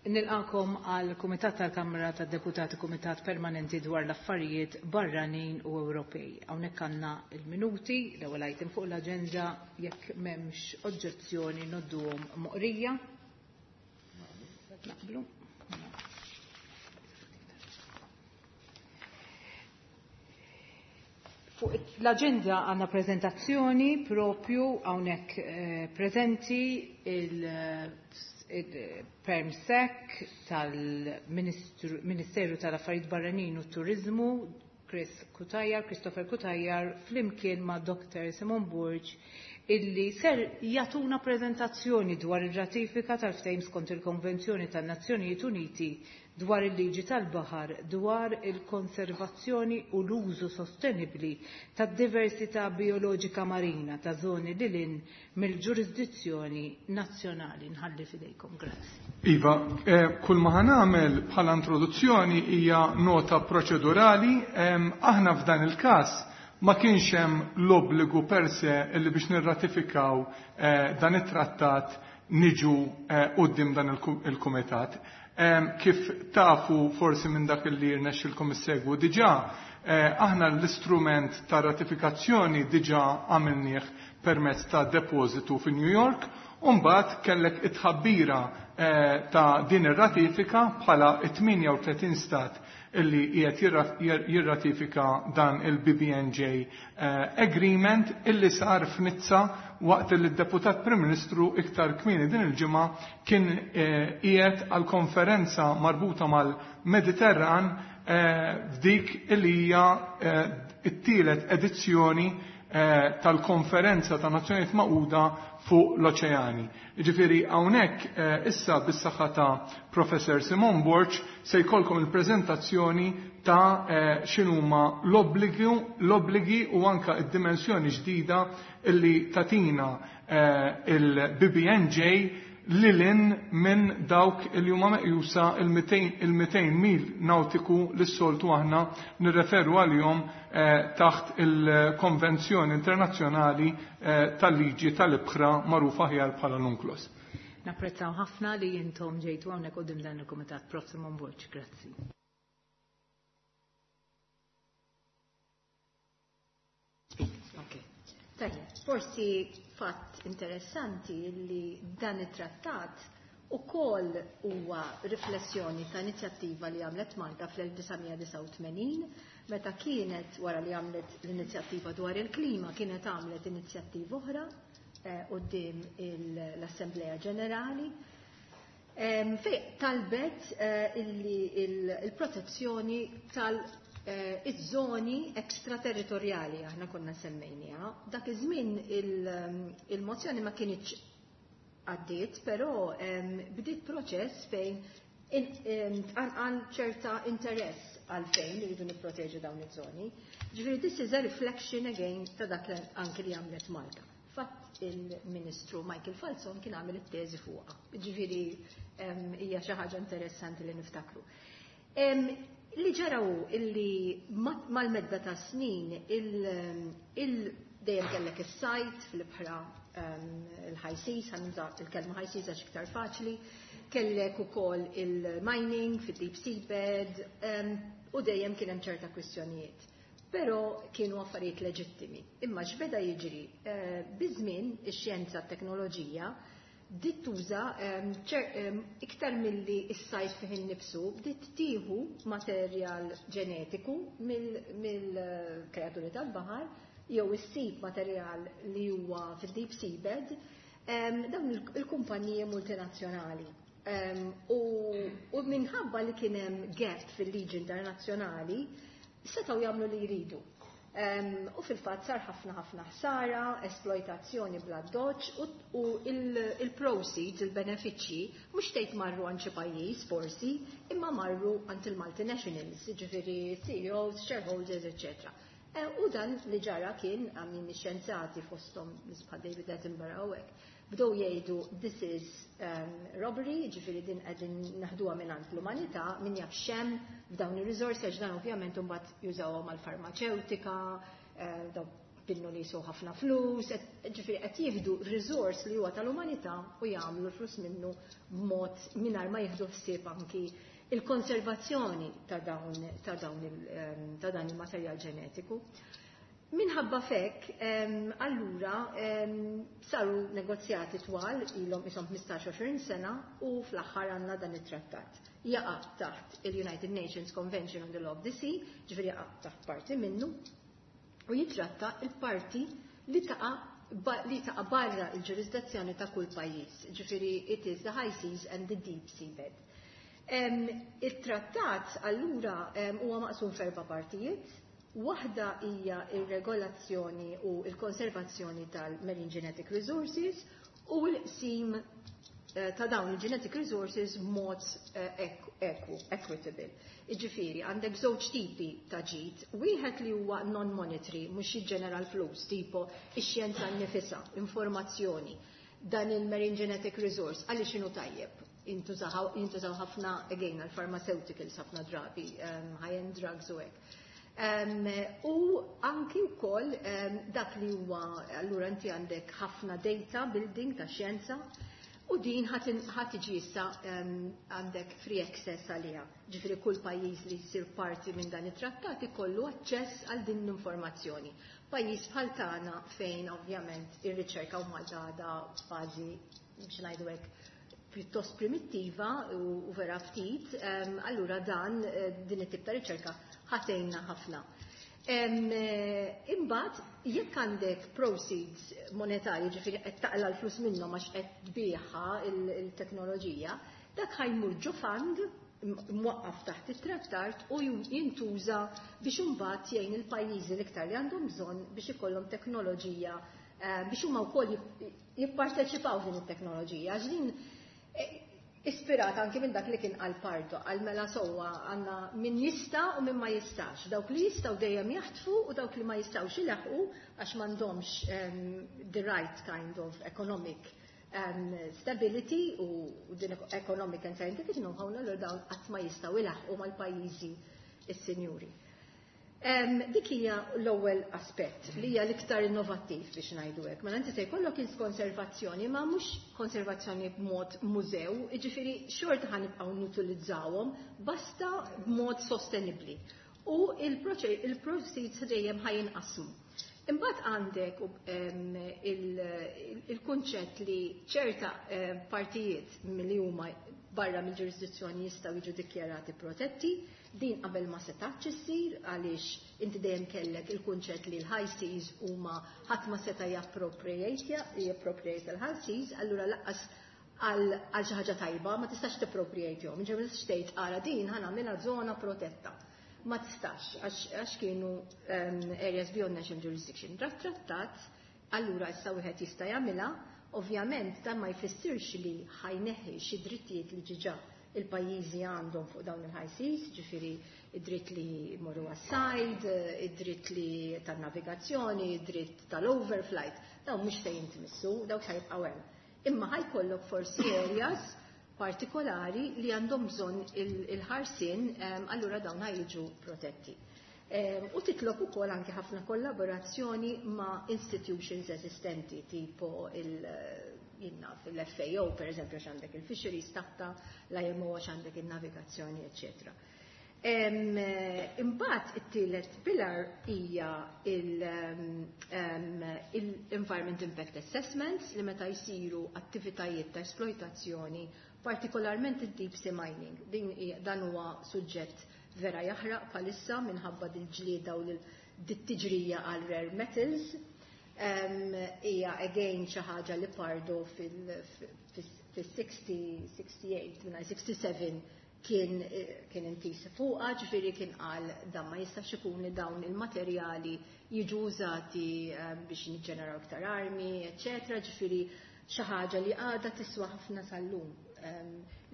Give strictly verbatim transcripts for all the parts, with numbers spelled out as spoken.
Nilqakom għal Kumitat tal-Kamra tad-Deputati, Kumitat Permanenti dwar l-Affarijiet Barranin u Ewropej. Hawnhekk għandna il-minuti, l-ewwel item fuq l-aġenda, jekk m'hemmx oġġezzjoni nodduhom moqrija. Naqblu. Fuq l-agenda għanna prezentazzjoni propju hawnhekk eh, prezenti il-Permsec tal-Ministeru tal-Affarijiet Barranin u Turizmu Chris Cutajar, Christopher Cutajar, flimkien ma' Doktor Simon Burg, illi ser jatuna prezentazzjoni dwar ir-ratifika tal-ftehim skont il-Konvenzjoni tan-Nazzjonijiet Uniti dwar il-liġi tal-baħar, dwar il-konservazzjoni u l-użu sostenibli tad-diversità bioloġika marina ta' zoni lil hinn mill-ġurisdizzjoni nazzjonali. Nħalli fidejkom, grazzi. Iva, eh, kull ma ħanamel bħala introduzzjoni hija nota proċedurali. Eh, aħna f'dan il-każ ma kienx hemm l-obbligu per se illi biex nirratifikaw eh, dan it-trattat niġu eh, quddiem dan il-kumitat. Kif tafu forsi minn dak li rnexxilkom issegwu diġà, eh, aħna l-istrument ta' ratifikazzjoni diġà għamilnieh permezz ta' depożitu fi New York, u mbagħad kellek it-tħabbira eh, ta' din ir-ratifika bħala tmienja u tletin stat illi qiegħed jirratifika dan il-B B N J eh, Agreement illi sar f'Nizza waqt li d-Deputat Prim Ministru iktar kmieni din il-ġimgħa kien, eh, qiegħed għal konferenza marbuta mal-Mediterran, eh, f'dik illi hija, eh, it-tielet edizzjoni, eh, tal-konferenza ta' Nazzjonijiet Magħquda fuq l-oċeani. Jiġifieri hawnhekk, eh, issa bis-saħħa ta' Professor Simon Borg se jkollkom il-preżentazzjoni ta', eh, x'inhuma l-obbligi, l-obbligi u anka d-dimensjoni ġdida illi tatina, eh, il-B B N J lilin minn dawk li huma meqjusa il-mitejn mil nautiku li s-soltu aħna nirreferu għalihom, eh, taħt il-Konvenzjoni Internazzjonali, eh, tal-Liġi tal-Ibħra magħrufa aħjar bħala l-UNCLOS. Napprezzaw ħafna li intom ġejtu hawnhekk quddiem dan il-Kumitat. Professor Simon Borg, grazzi. Okay. Tajjeb, forsi fatt interessanti li dan it-trattat ukoll huwa riflessjoni ta' inizjattiva li għamlet Malta fl-elf disa' mija disgħa u tmenin, meta kienet wara li għamlet l-inizjattiva dwar il-klima, kienet għamlet inizjattiva oħra, eh, quddiem il-, l-Assemblea Ġenerali, em, fej talbet, eh, illi il-, il-protezzjoni tal-, eh, iż-żoni ekstraterritorjali, aħna konna semmejniha. Dak iż-żmien il-, il-mozzjoni ma kinitx għaddiet, però, em, bdiet proċess fejn in-, em, tqanqal ċerta interess għalfejn li rridu nipproteġu dawn iż-żoni. Ġifieri this is a reflection again ta' dak li anke li għamlet Malta. Fatt il-Ministru Michael Falzon kien għamel it-teżi fuqha. Ġifieri, em, hija xi ħaġa interessanti li niftakru. Em, li ġaraw illi ma-, mal-medda ta' snin il-, il-, dejjem kellek is-sajt fl-ibħra, em, il-high seas, ħanuża il-kelma high seas għax iktar faċli, kellek ukoll il-mining fid-deep seabed, em, u dejjem kien hemm ċerta kwistjonijiet. Però kienu affarijiet leġittimi. Imma x'beda jiġri, eh, biż-żmien ix-xjenza t-teknoloġija bdiet tuża, em, ċer-, em, iktar milli s-sajt fih innifsu, bdiet tieħu materjal ġenetiku mill-, mill-kreaturi tal-baħar, jew issib materjal li huwa fid-deep seabed, em, dawn il-, il-kumpaniji multinazzjonali. Em, u, u minħabba li kien hemm gap fil-liġi internazzjonali, setgħu jagħmlu li jridu. Em, u fil-fatt sar ħafna ħafna ħsara, esploitazzjoni bla doċ, u, u il-, il-proceeds, il-benefiċċji, mhux tgħid marru għand xi pajjiż forsi, imma marru għand il-multinationals, jiġifieri C E Os, shareholders, eċċetera. E, u dan li ġara kien għammin xjenzati fosthom nisbħa David Attenborough u hekk, bdew jgħidu this is, um, robbery, ġifieri din qegħdin naħduha mingħand l-umanità, min jaf x'hemm f'dawn ir-riżorsi, għax dan ovvjament imbagħad jużawhom għall-farmaċewtika, eh, daw Pinnu li jiswew ħafna flus, ġifieri qed jieħdu resource li huwa tal-umanità u jagħmlu l-flus minnu b'mod mingħajr ma jieħdu ħsieb anki il-konservazzjoni ta' dawn ta' dawn ta' dan il-materjal ġenetiku. Minħabba fek, allura saru negozjati twal ilhom ishom ħmistax għoxrin sena u fl-aħħar għandna dan it-trattat. Jaqa' taħt il-United Nations Convention on the Law of the Sea, ġifieri jaqa' taħt parti minnu, u jitratta il-parti li taqa' li taqa' barra il-ġurisdizzjoni ta' kull pajjiż, ġifieri it is the high seas and the deep seabed. Il-trattat allura huwa maqsum f'erba' partijiet. Waħda hija ir-regolazzjoni u l-konservazzjoni tal-marine genetic resources u l-qsim eh, ta' dawn il-genetic resources mod eh, equal, equitable. Iġifieri, għandek żewġ tipi ta' ġid, wieħed li huwa non-monetary, mhux jiġġenera l-flus, tipo ix-xjenza nnifisha, informazzjoni, dan il-marine genetic resource, għaliex inhu tajjeb. Jintużaw ħafna, again, għal-pharmaceuticals ħafna drabi, um, high-end drugs u hekk. Um, u anki wkoll um, dak li huwa, allura inti għandek ħafna data building ta' xjenza, u din ħa tiġi issa għandek free access għaliha. Ġifieri kull pajjiż li jsir parti minn dan it-trattat ikollu aċċess għal din l-informazzjoni. Pajjiż bħal tagħna fejn ovvjament ir-riċerka u Malta għadha fażi, biex ngħidu hekk, pjuttost primittiva u vera ftit, allura dan eh, din it-tip ta' riċerka ħa tgħinna ħafna. Eh, imbagħad jekk għandek proceeds monetarji, ġifieri qed taqla l-flus minnhom għax qed tbigħha il-teknoloġija, dak ħa jmur ġo fund mwaqqaf taħt it-trattat u jintuża biex imbagħad jgħin il-pajjiżi l-iktar li għandhom bżonn biex ikollhom teknoloġija, eh, biex huma wkoll jipparteċipaw din it-teknoloġija. Għax din eh, ispirat anki minn dak li kien għal Pardo, għal mela sowa għandna min jista' u min ma jistax. Dawk li jistgħu dejjem jaħtfu u dawk li ma jistgħux ilaħqu għax m'għandhomx um, the right kind of economic um, stability u din economic and scientific know-how, l dawn qatt ma jistgħu ilaħqu mal-pajjiżi is-sinjuri. Um, dik hija l-ewwel aspett li hija l-iktar innovattiv, biex ngħidu hekk. Mela inti se jkollok il-konservazzjoni, ma mhux konservazzjoni b'mod mużew, jiġifieri xorta ħa nibqgħu nutilizzawhom basta b'mod sostenibbli. U il-proceeds dejjem ħa jinqasmu. Imbagħad għandek il-kunċett li ċerta partijiet milli huma barra mill-ġurisdizzjoni jistgħu jiġu dikjarati protetti. Din qabel ma setax issir għaliex inti dejjem kellek il-kunċett li l-high seas huma ħadd ma seta' jappropriate jappropriate l-high seas, allura lanqas għal xi ħaġa tajba ma tistax tippropriatehom. Ġifieri ma tistax tgħid, "Ara, din ħa nagħmilha żona protetta." Ma tistax għax kienu um, areas beyond national jurisdiction. Dat trattat allura issa wieħed jista' jagħmilha. Ovvjament dan ma jfissirx li ħa jneħħi xi drittijiet li diġà il-pajjiżi għandhom fuq dawn il-high seas, ġifieri id-dritt li jmorru għas-sajd, id-dritt li tan-navigazzjoni, id-dritt tal-overflight, dawn mhux se jintmissu, dawk se jibqgħu hemm. Imma ħa jkollok forsi areas partikolari li għandhom bżonn il-ħarsien, allura dawn jiġu protetti. U titlob ukoll anke ħafna kollaborazzjoni ma' institutions eżistenti, tipo il- jinna fil-F A O, per eżempju, għax għandek il-fisheries taħtha, l-I M O għax għandek il-navigazzjoni, eccetera. Imbagħad it-tielet pillar hija il-Environment Impact Assessments li meta jsiru attivitajiet ta' esploitazzjoni, partikolarment id-deep sea mining. Din dan huwa suġġett vera jaħraq bħalissa minħabba dil-ġlieda u dit-tiġrija għal rare metals. Hija again xi ħaġa li Pardo fil-sixty, sixty-eight, sixty-seven kien kien intis fuqha, ġifieri kien qal dan ma jistax ikun li dawn il-materjali jiġu użati biex niġġeneraw iktar armi, eċetera, ġifieri xi ħaġa li għadha tiswa ħafna sal-lum.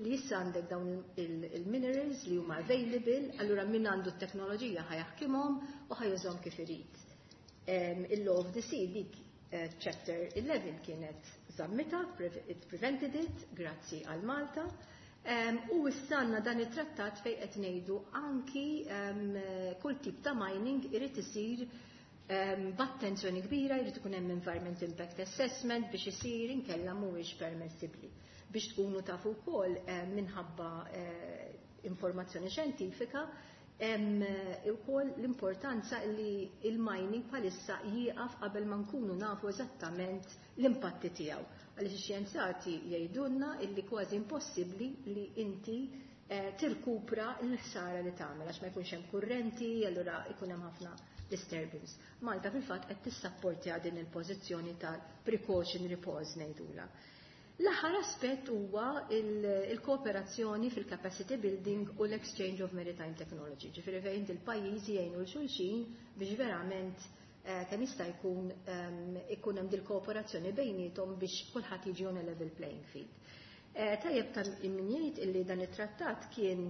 Li issa għandek dawn il-minerals li huma available, allura min għandu t-teknoloġija ħa jaħkimhom u ħa jużahom kif irid. Il-Law of the Sea, dik eh, chapter eleven kienet żammitha, it prevented it, grazzi għal Malta. Um, u issa għandna dan it-trattat fej qed ngħidu anki um, kull tip ta' mining irid isir B'attenzjoni kbira jrid ikun hemm environment impact assessment biex isir, inkella mhuwiex permessibbli. Biex tkunu tafu wkoll, minħabba informazzjoni xjentifika, hemm ukoll l-importanza li il-mining bħalissa jieqaf qabel ma nkunu nafu eżattament l-impatti tiegħu. Għaliex ix-xjenzati jgħidulna illi kważi impossibbli li inti tirkupra l-ħsara li tagħmel għax ma jkunx hemm kurrenti, allura jkun hemm ħafna disturbance. Malta fil-fatt qed tissapportja din il-pożizzjoni tal-precautionary pause ngħidula. L-aħħar aspett huwa il-kooperazzjoni fil-capacity building u l-exchange of maritime technology. Ġifieri fejn il-pajjiżi jgħinu 'l xulxin biex verament kemm jista' jkun ikun hemm dil-kooperazzjoni bejniethom biex kulħadd jiġi on a level playing field. Tajjeb ta' min jgħid illi dan it-trattat kien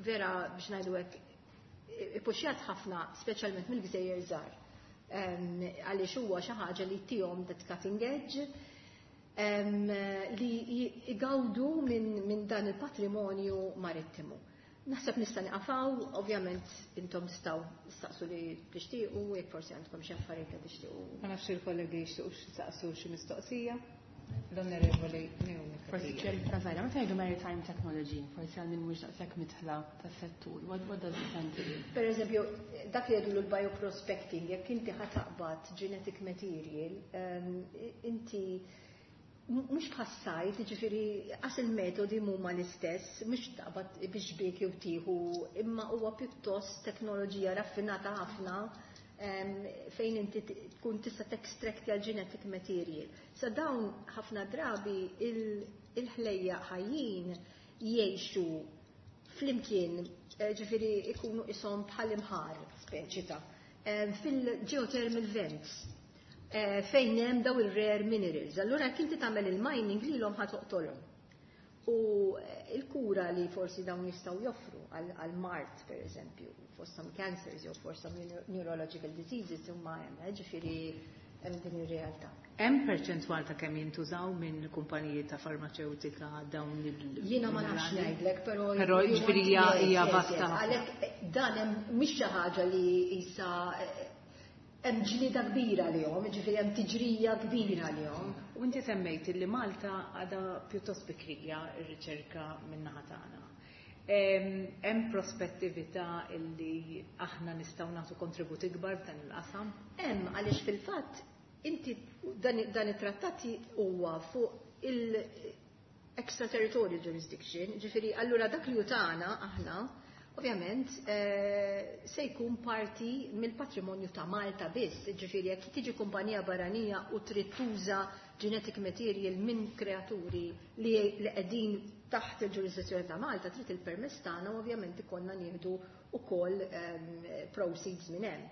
vera, biex ngħidu hekk, ippuxjat ħafna, speċjalment mill-gżejjer żgħar. Għaliex huwa xi ħaġa li tihom that cutting edge li jgawdu minn dan il-patrimonju marittimu. Naħseb nista' nieqaf hawn, ovvjament intom tistgħu staqsu li tixtiequ, jekk forsi għandkom xi affarijiet li tixtiequ. Ma nafx il-kollegi jixtiequ staqsu xi mistoqsija. L-Onorevoli Naomi. Forsi kjerifika żgħira, meta jgħidu maritime technology, forsi għal min mhux daqshekk midħla tas-settur, what, what does it entail? Per eżempju, dak li jgħidu l-bioprospecting, jekk inti ħa taqbad genetic material, inti mhux bħas-sajd, ġifieri għax il-metodi mhuma l-istess, mhux taqbad biex bik jew tieħu, imma huwa pjuttost teknoloġija raffinata ħafna fejn inti tkun tista' textracti għal genetic material. Sa dawn ħafna drabi il-ħlejja ħajjin jgħixu flimkien, ġifieri ikunu ishom bħal imħar speċi ta' fil-geothermal vents fejn hemm daw il-rare minerals. Allura jekk inti tagħmel il-mining lilhom ħa toqtolhom. U il-kura li forsi dawn jistgħu joffru għal-mard, per eżempju, for some cancers jew for some neurological diseases huma hemm, ġifieri hemm din ir-realtà. Hemm perċentwal ta' kemm jintużaw minn kumpaniji ta' farmaceutika dawn il- Jiena ma nafx ngħidlek, però Però ġifieri hija vasta. Għalhekk dan hemm mhix xi ħaġa li isa hemm ġlieda kbira lihom, ġifieri hemm tiġrija kbira lihom. U inti semmejt li Malta għadha pjuttost bikrija r-riċerka min-naħa tagħna. Hemm prospettività illi aħna nistgħu nagħtu kontribut ikbar f'dan il-qasam? Hemm, għaliex fil-fatt inti dan it-trattat huwa fuq il-extraterritorial jurisdiction, ġifieri allura dak li tagħna aħna ovvjament se jkun parti mill-patrimonju ta' Malta biss, ġifieri jekk tiġi kumpanija barranija u trid tuża genetic material minn kreaturi li qegħdin taħt il-ġurisdizzjoni ta' Malta, trid il-permess tagħna u ovvjament ikollna nieħdu ukoll proceeds minn hemm.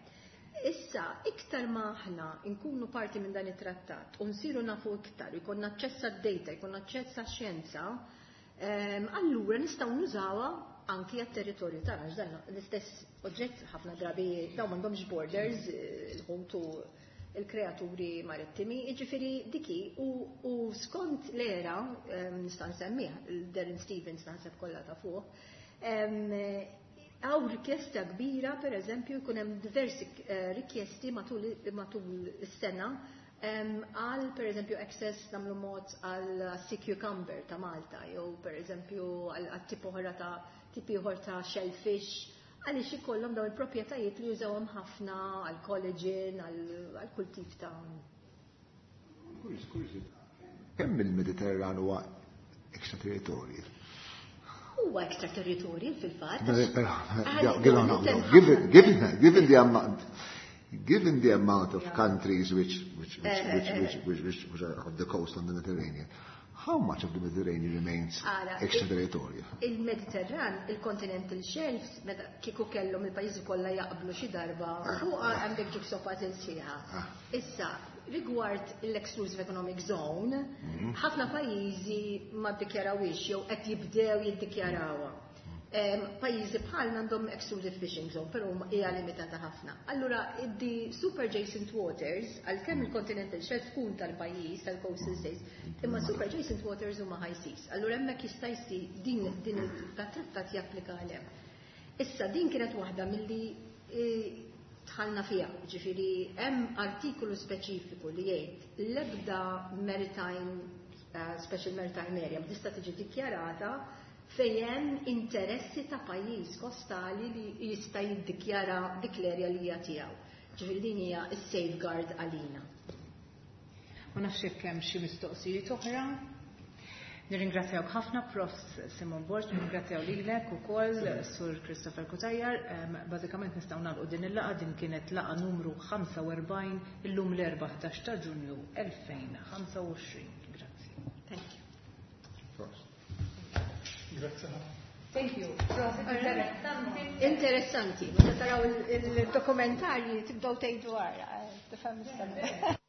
Issa, iktar ma aħna nkunu parti minn dan it-trattat u nsiru nafu iktar, jkollna aċċess għad-data, jkollna aċċess għax-xjenza, allura nistgħu nużawha anki għat-territorju tagħna, għax dan l-istess oġġett ħafna drabi dawn m'għandhomx borders, il-ħut u il-kreaturi marittimi, jiġifieri diki u skont l-era, nista' nsemmih, Darren Stevens naħseb kollha ta' fuq, hawn rikjesta kbira, per eżempju, jkun hemm diversi rikjesti matul is-sena għal per eżempju access nagħmlu mod għal sea cucumber ta' Malta, jew per eżempju għal tip oħra ta' tipi oħra ta' shellfish, għaliex ikollhom dawn il-proprjetajiet li jużawhom ħafna għal collagen, għal kull tip ta' Kemm il-Mediterran huwa extraterritorial? Huwa extraterritorial fil-fatt. Given, given, given the amount, given the amount of countries which, which, which, which, which, which, which, which are on the coast on the Mediterranean, how much of the Mediterranean remains extraterritorial? Il-Mediterran, il-continental shelves, meta kieku kellhom il-pajjiżi kollha jaqblu xi darba, fuq għandek jigsaw puzzle sħiħa. Issa, rigward l-exclusive economic zone, ħafna pajjiżi ma ddikjarawhiex jew qed jibdew jiddikjarawha. Pajjiżi bħalna għandhom exclusive fishing zone, però hija limitata ħafna. Allura, the super adjacent waters, għalkemm il-continental shelf tkun tal-pajjiż, tal-coastal states, imma super adjacent waters huma high seas. Allura hemmhekk jista' jsir din din il-trattat japplika għalhemm. Issa din kienet waħda milli Dħalna fiha, ġifieri hemm artikolu speċifiku li jgħid l-ebda maritime uh, special maritime area ma tista' tiġi dikjarata fejn hemm interessi ta' pajjiż kostali li jista' jiddikjara dik l-area li hija tiegħu. Ġifieri din hija s-safeguard għalina. Ma nafx jekk hemm xi mistoqsijiet oħra. Nirringrazzjawk ħafna, Professor Simon Borg, nirringrazzjaw lilek ukoll Sur Christopher Cutajar. Bażikament nistgħu nagħlqu din il-laqgħa. Din kienet laqgħa numru ħamsa u erbgħin, illum l-Erbgħa ħdax ta' Ġunju elfejn u ħamsa u għoxrin. Grazzi. Thank you. Grazzi. Thank you. Interessanti. Interessanti. Meta taraw il-dokumentarji tibdew tgħidu wara, tifhem.